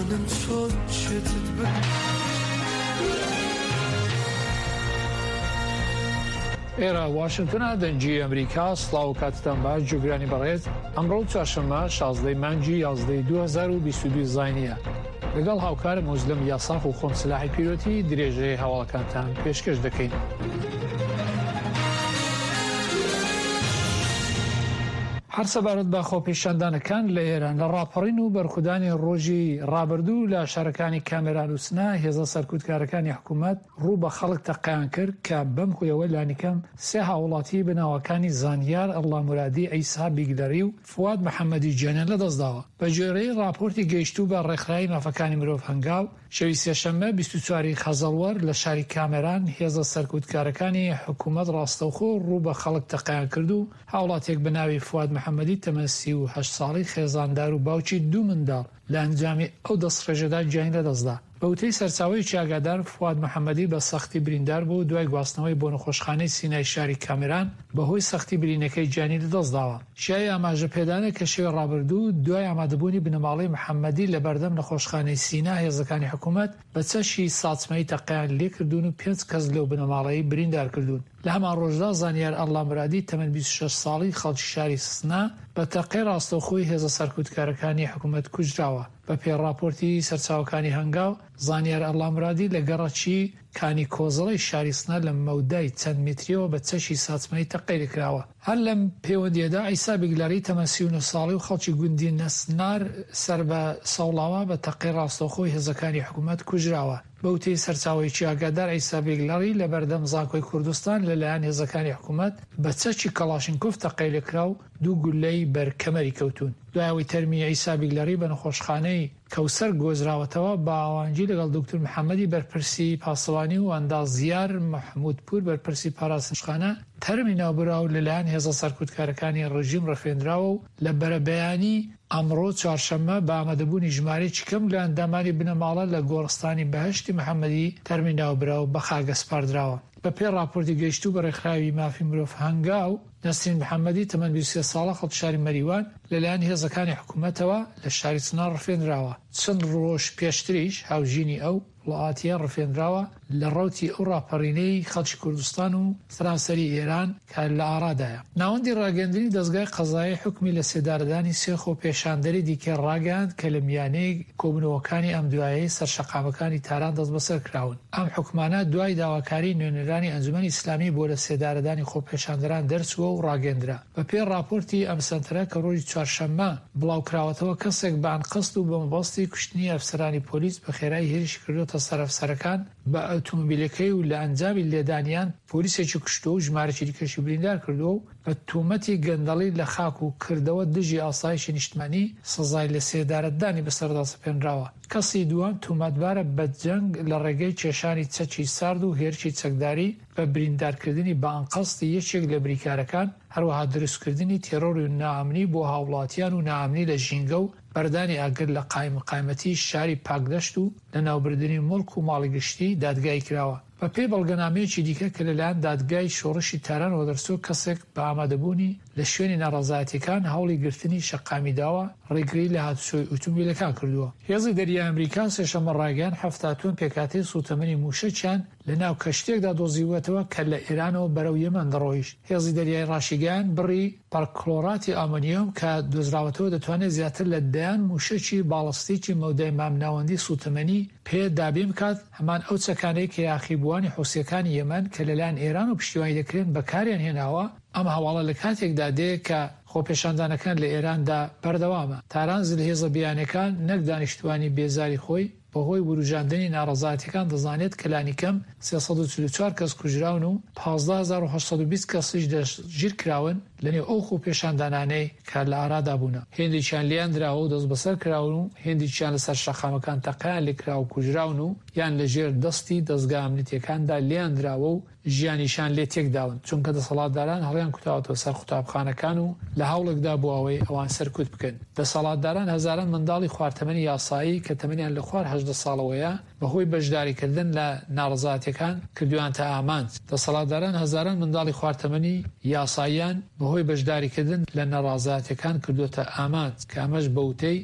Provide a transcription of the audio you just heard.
نازانم چۆن شێتت بکەم. ئێرە واشنتنە دەنگی ئەمریکا سڵاو کاتتان باش جوگرانی بەڕێز ئەمڕۆ چوارشەممە 16 مانگی 11 2022 زینیە لەگەڵ هاوکارم موزلم یاساق و خۆم سلاحی پیرۆتی درێژەی هەواڵەکانتان پێشکەش دەکەین. هەر سەبارەت بە خۆپیشاندانەکان لە ئێران لە ڕاپەڕین و بەرخودانی ڕۆژی ڕابردوو لە شارەکانی کامێران و سنە هێزە سەرکوتکارەکانی حکوومەت ڕوو بە خەڵک تەقەیان کرد کە بەم هۆیەوە لانیکەم سێ هاووڵاتی بە ناوەکانی زانیار ئەڵڵامورادی، عیسا بیگلەری و فواد محەمەدی گیانیان لەدەستداوە. بە گوێرەی ڕاپۆرتی گەیشتوو بە ڕێکخراوی مافەکانی مرۆڤ هەنگاو، شەوی سێشەممە 24 ی خەزەڵوەر لە شاری کامێران هێزە سەرکوتکارەکانی حکوومەت ڕاستەوخۆ ڕوو بە خەڵک تەقەیان کرد و هاوڵاتیەک بە ناوی فواد محەمەدی تەمەن 38 ساڵی خێزاندار و باوکی دوو منداڵ لە ئەنجامی ئەو دەستڕێژەدا گیانی لەدەستدا. بە وتەی سەرچاوەیەکی ئاگادار، فواد محەمەدی بە سەختی بریندار بوو و دوای گواستنەوەی بۆ نەخۆشخانەی سینای شاری کامێران بەهۆی سەختی برینەکەی گیانی لەدەستداوە. شایەی ئاماژە پێدانە کە شەوی ڕابردوو دوای ئامادەبوونی بنەماڵەی محەمەدی لەبەردەم نەخۆشخانەی سینا هێزەکانی حکوومەت بە چەکی ساچمەیی تەقەیان لێکردوون و پێنج کەس لەو بنەماڵەی بریندار کردوون. لە هەمان ڕۆژدا زانیار ئەڵڵامورادی تەمەن 26 ساڵی خەڵکی شاری سنە بە تەقەی ڕاستەوخۆی هێزە سەرکوتکارەکانی حکوومەت کوژراوە. بە پێی ڕاپۆرتی سەرچاوەکانی هەنگاو، زانیار ئەڵڵامورادی لە گەڕەکی کانی کۆزڵەی شاری سنە لە مەودای چەند میترییەوە بە چەکی ساچمەیی تەقەی لێکراوە. هەر لەم پێوەندییەدا عیسا بیگلەری تەمەن 39 ساڵی و خەڵکی گوندی نەسنار سەر بە سەوڵاوا بە تەقەی ڕاستەوخۆی هێزەکانی حکوومەت کوژراوە. بە وتەی سەرچاوەیەکی ئاگادار عیسا بیگلەری لە بەردەم زانکۆی کوردستان لە لایەن هێزەکانی حکوومەت بە چەکی کەڵاشینکۆف تەقەی لێکرا و دوو گوللەی بەر کەمەری کەوتوون. دوای ئەوەی تەرمی عیسا بیگلەری بە نەخۆشخانەی کەوسەر گۆزراوەتەوە، بە هاوئاهەنگی لەگەڵ دوکتور محەمەدی بەرپرسی پاسەوانی و ئەندازیار مەحموودپوور بەرپرسی پاراستنخانە، تەرمی ناوبراو لەلایەن هێزە سەرکوتکارەکانی ڕێژیم ڕفێندراوە و لە بەرەبەیانی ئەمڕۆ چوارشەممە بە ئامادەبوونی ژمارەیەکی کەم لە ئەندامانی بنەماڵە لە گۆڕستانی بەهەشتی محەمەدی تەرمی ناوبراو بە خاک ئەسپاردراوە. بەپێی ڕاپۆرتی گەیشتوو بە ڕێکخراوی مافی مرۆڤ هەنگاو، نەسرین محەمەدی تەمەن 23 ساڵە خەڵکی شاری مەریوان لەلایەن هێزەکانی حکوومەتەوە لە شاری سنە ڕفێنراوە. چەند ڕۆژ پێشتریش هاوژینی ئەو، ڵاتیە ڕفێنراوە لە ڕەوتی ئەو ڕاپەڕینەی خەڵکی کوردستان و سەرانسەری ئێران کە لە ئارادایە. ناوەندی ڕاگەیاندنی دەزگای قەزایی حوکمی لەسێدارەدانی سێ خۆپێشاندەری دیکە ڕاگەیاند کە لە میانەی کۆبوونەوەکانی ئەمدوایەی سەر شەقامەکانی تاران دەستبەسەر کراون. ئەم حوکمانە دوای داواکاریی نوێنەرانی ئەنجومەنی ئیسلامی بۆ لەسێدارەدانی خۆپێشاندەران دەرچووە و ڕاگەیەندرا. بە پێی ڕاپۆرتی ئەم سەنتەرە کە ڕۆژی چوارشەممە بڵاو کراوەتەوە، کەسێک بە ئەنقەست و بە مەبەستی کوشتنی ئەفسەرانی پۆلیس بە خێرایی هێرشی کردۆتە سەر ئەفسەرەکان بە ئۆتۆمۆبیلەکەی و لە ئەنجامی لێدانیان پۆلیسێکی کوشتووە و ژمارەکی دیکەشی بریندار کردووە و بە تۆمەتی گەندەڵی لە خاک و کردەوە دژی ئاسایشی نیشتمانی سزای لەسێدارەدانی بەسەردا سەپێنراوە. کەسی دووەم تۆمەتبارە بە جەنگ لە ڕێگەی کێشانی چەکی سارد و هێرشی چەکداری بە بریندارکردنی بە ئەنقەستی یەکێک لە بریکارەکان، هەروەها دروستکردنی تێرۆر و نائەمنی بۆ هاووڵاتیان و نائەمنی لە ژینگە و بەردانی ئاگر لە قایمقایمەتی شاری پاکدەشت و لەناوبردنی موڵک و ماڵی گشتی دادگایی کراوە. بە پێی بەڵگەنامەیەکی دیکە کە لەلایەن دادگای شۆڕشی تارانەوە دەرچووە، کەسێک بە ئامادەبوونی لە شوێنی ناڕەزایەتییەکان هەوڵی گرتنی شەقامی داوە، ڕێگری لە هاتوچۆی ئوتومبیلەکان کردووە. هێزی دەریای ئەمریکا سێشەممە ڕایگەیاند، 70 تۆن پێکهاتەی سووتەمەنی مووشەکیان لە ناو کەشتییەکدا دۆزیووەتەوە کە لە ئێرانەوە بەرەو یەمەن دەڕۆیشت. هێزی دەریایی ڕاشیگەیاند، بڕی پەرکلۆراتی ئامۆنیۆم کە دۆزراوەتەوە دەتوانێت زیاتر لە دەیان مووشەکی باڵستیکی مەودای مامناوەندی سووتەمەنی پێ دابین بکات، هەمان ئەو چەکانەی کە یاخیبووانی حوسییەکانی یەمەن کە لەلایەن ئێرانەوە پشتیوانی دەکرێن بەکاریان هێناوە، ئەم هەواڵە لە کاتێکدا دێ کە خۆپێشاندانەکان لە ئێراندا بەردەوامە. تاران زلهێزە بیانیەکان نەک دانیشتوانی بێزاری خۆی بەهۆی وروژاندنی ناڕەزایەتیەکان دەزانێت کە لانیکەم 344 کەس کوژراون و 15820 کەسیش دەستگیرکراون لەنێو ئەو خۆپێشاندانانەی کە لە ئارادا بوونە. هێندێکیان لێیان دراوە و دەستبەسەر کراون و هێندێکیان لەسەر شەقامەکان تەقەیان لێکراوە و کوژراون و یان لەژێر دەستی دەزگا ئەمنیتیەکاندا لێیان دراوە و ژیانیشیان لێ تێکداون، چونکە دەسەڵاتداران هەڵیان کوتاوەتەوە سەر قوتابخانەکان و لە هەوڵێکدا بۆ ئەوەی ئەوان سەرکوت بکەن. دەسەڵاتداران هەزاران منداڵی خوار تەمەنی یاسایی کە تەمەنیان لە خوار 18 ساڵەوەیە بەهۆی بەشداریکردن لە ناڕەزایەتیەکان کردویانتە ئامانج. دەسەڵاتداران هەزاران منداڵی خوار تەمەنی یاساییان بەهۆی بەشداریکردن لە ناڕازایەتیەکان کردۆتە ئامانج کە ئەمەش بە وتەی.